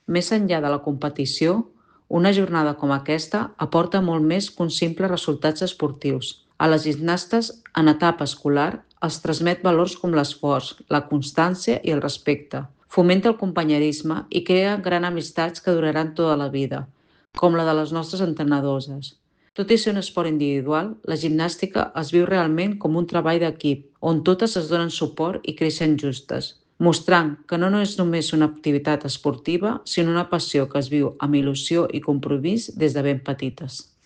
Més enllà de la competició, una jornada com aquesta aporta molt més que uns simples resultats esportius. A les gimnastes, en etapa escolar, els transmet valors com l'esforç, la constància i el respecte. Fomenta el companyerisme i crea grans amistats que duraran tota la vida, com la de les nostres entrenadores. Tot i ser un esport individual, la gimnàstica es viu realment com un treball d'equip, on totes es donen suport i creixen justes, mostrant que no és només una activitat esportiva, sinó una passió que es viu amb il·lusió i compromís des de ben petites.